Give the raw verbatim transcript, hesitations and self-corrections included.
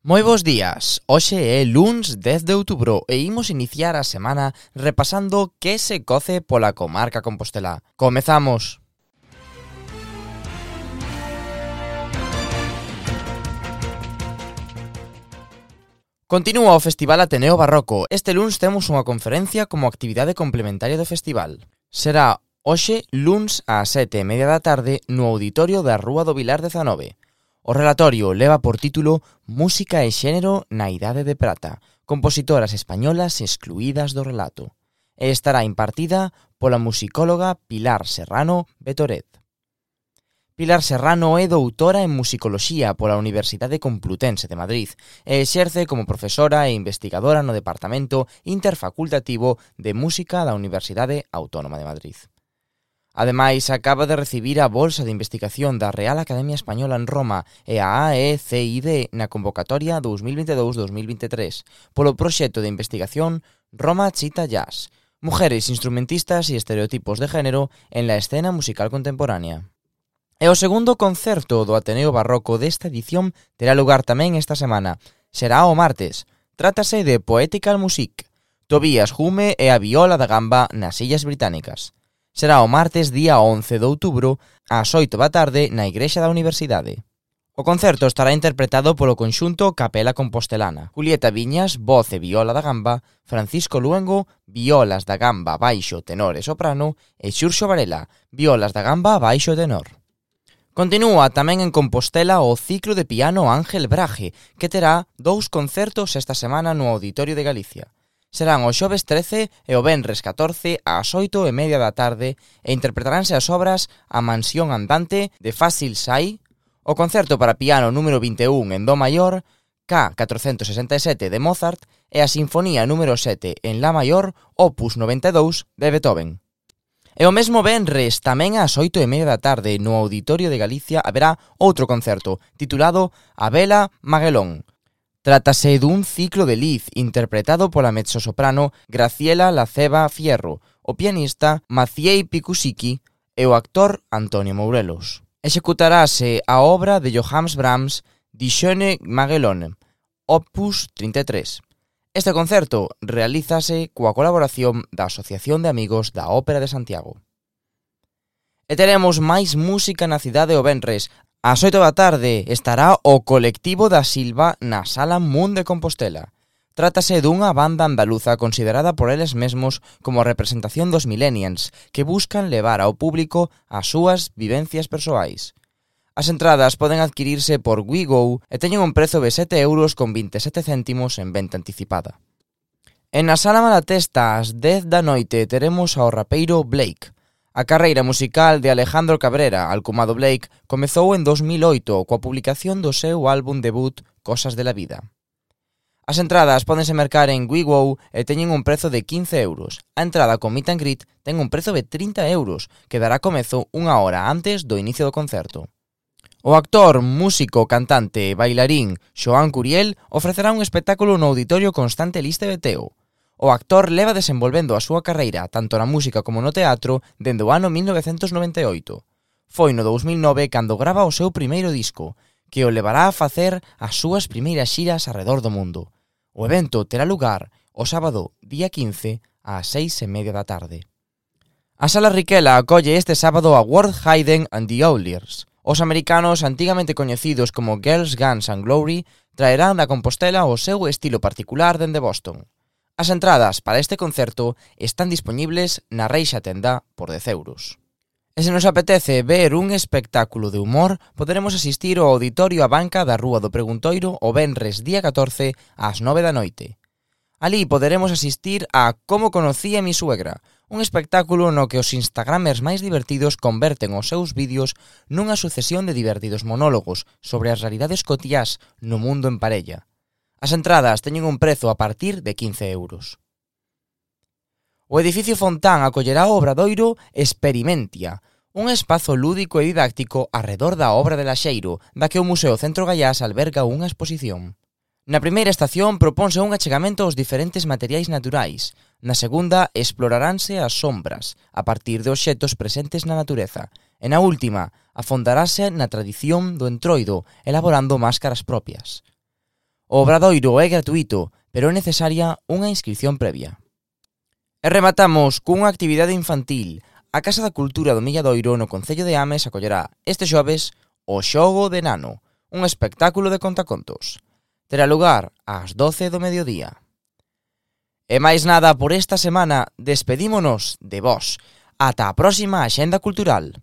Moi bos días, hoxe é luns dez de outubro e imos iniciar a semana repasando que se coce pola comarca compostelá. Comezamos! Continúa o Festival Ateneo Barroco. Este luns temos unha conferencia como actividade complementaria do festival. Será hoxe luns ás sete e media da tarde no auditorio da Rúa do Vilar dezanove. O relatorio leva por título Música e xénero na Idade de Prata, compositoras españolas excluídas do relato, e estará impartida pola musicóloga Pilar Serrano Betoret. Pilar Serrano é doutora en musicoloxía pola Universidade Complutense de Madrid e exerce como profesora e investigadora no Departamento Interfacultativo de Música da Universidade Autónoma de Madrid. Ademais, acaba de recibir a bolsa de investigación da Real Academia Española en Roma e a A E C I D na convocatoria dos mil veintidous dos mil veintitrés polo proxecto de investigación Roma Chita Jazz, Mujeres instrumentistas e estereotipos de género en la escena musical contemporánea. E o segundo concerto do Ateneo Barroco desta edición terá lugar tamén esta semana. Será o martes. Trátase de Poetical Music, Tobías Hume e a viola da gamba nas Illas Británicas. Será o martes día once de outubro ás oito da tarde na Igrexa da Universidade. O concerto estará interpretado polo conxunto Capela Compostelana, Julieta Viñas, voz e viola da gamba, Francisco Luengo, violas da gamba baixo, tenor e soprano, e Xurxo Varela, violas da gamba baixo e tenor. Continúa tamén en Compostela o ciclo de piano Ángel Braje, que terá dous concertos esta semana no Auditorio de Galicia. Serán o xoves trece e o venres catorce ás oito e media da tarde e interpretaranse as obras A Mansión Andante de Fácil Sai, o concerto para piano número vinte e un en do maior, K catrocentos sesenta e sete de Mozart e a Sinfonía número sete en La maior, opus noventa e dous de Beethoven. E o mesmo venres, tamén ás oito e media da tarde, no Auditorio de Galicia haberá outro concerto, titulado A Vela Maguelón. Trátase dun ciclo de Liz interpretado pola mezzosoprano Graciela Laceba Fierro, o pianista Maciej Pikušíky e o actor Antonio Mourelos. Executarase a obra de Johannes Brahms Die Schöne Magelone, opus trinta e tres. Este concerto realízase coa colaboración da Asociación de Amigos da Ópera de Santiago. E teremos máis música na cidade o venres. Ás oito da tarde estará o Colectivo da Silva na Sala Mun de Compostela. Trátase dunha banda andaluza considerada por eles mesmos como representación dos millennials que buscan levar ao público as súas vivencias persoais. As entradas poden adquirirse por WeGo e teñen un prezo de sete euros con vinte e sete céntimos en venta anticipada. En a Sala Malatesta, ás dez da noite, teremos ao rapeiro Blake. A carreira musical de Alejandro Cabrera, alcumado Blake, comezou en dos mil oito coa publicación do seu álbum debut Cosas de la Vida. As entradas pódense mercar en WeGo e teñen un prezo de quince euros. A entrada con meet and greet ten un prezo de trinta euros, que dará comezo unha hora antes do inicio do concerto. O actor, músico, cantante e bailarín Xoán Curiel ofrecerá un espectáculo no Auditorio Constante Liste de Teo. O actor leva desenvolvendo a súa carreira tanto na música como no teatro dende o ano mil novecentos noventa e oito. Foi no dous mil nove cando grava o seu primeiro disco, que o levará a facer as súas primeiras xiras arredor do mundo. O evento terá lugar o sábado, día quince, ás seis e media da tarde. A Sala Riquela acolle este sábado a World Hayden and the Outliers. Os americanos, antigamente coñecidos como Girls, Guns and Glory, traerán da Compostela o seu estilo particular dende Boston. As entradas para este concerto están dispoñibles na Reixa Tenda por dez euros. E se nos apetece ver un espectáculo de humor, poderemos asistir ao Auditorio A Banca da Rúa do Preguntoiro o venres día catorce ás nove da noite. Alí poderemos asistir a Como conocí a mi suegra, un espectáculo no que os instagramers máis divertidos converten os seus vídeos nunha sucesión de divertidos monólogos sobre as realidades cotiás no mundo en parella. As entradas teñen un prezo a partir de quince euros. O edificio Fontán acollerá o obradoiro Experimentia, un espazo lúdico e didáctico arredor da obra de Laxeiro, da que o Museo Centro Gaiás alberga unha exposición. Na primeira estación proponse un achegamento aos diferentes materiais naturais. Na segunda, exploraránse as sombras, a partir de obxectos presentes na natureza. E na última, afondarase na tradición do entroido, elaborando máscaras propias. O obradoiro é gratuito, pero é necesaria unha inscripción previa. E rematamos cunha actividade infantil. A Casa da Cultura do Milladoiro no Concello de Ames acollerá este xoves o Xogo de Nano, un espectáculo de contacontos. Terá lugar ás doce do mediodía. E máis nada por esta semana, despedímonos de vos. Ata a próxima Axenda Cultural.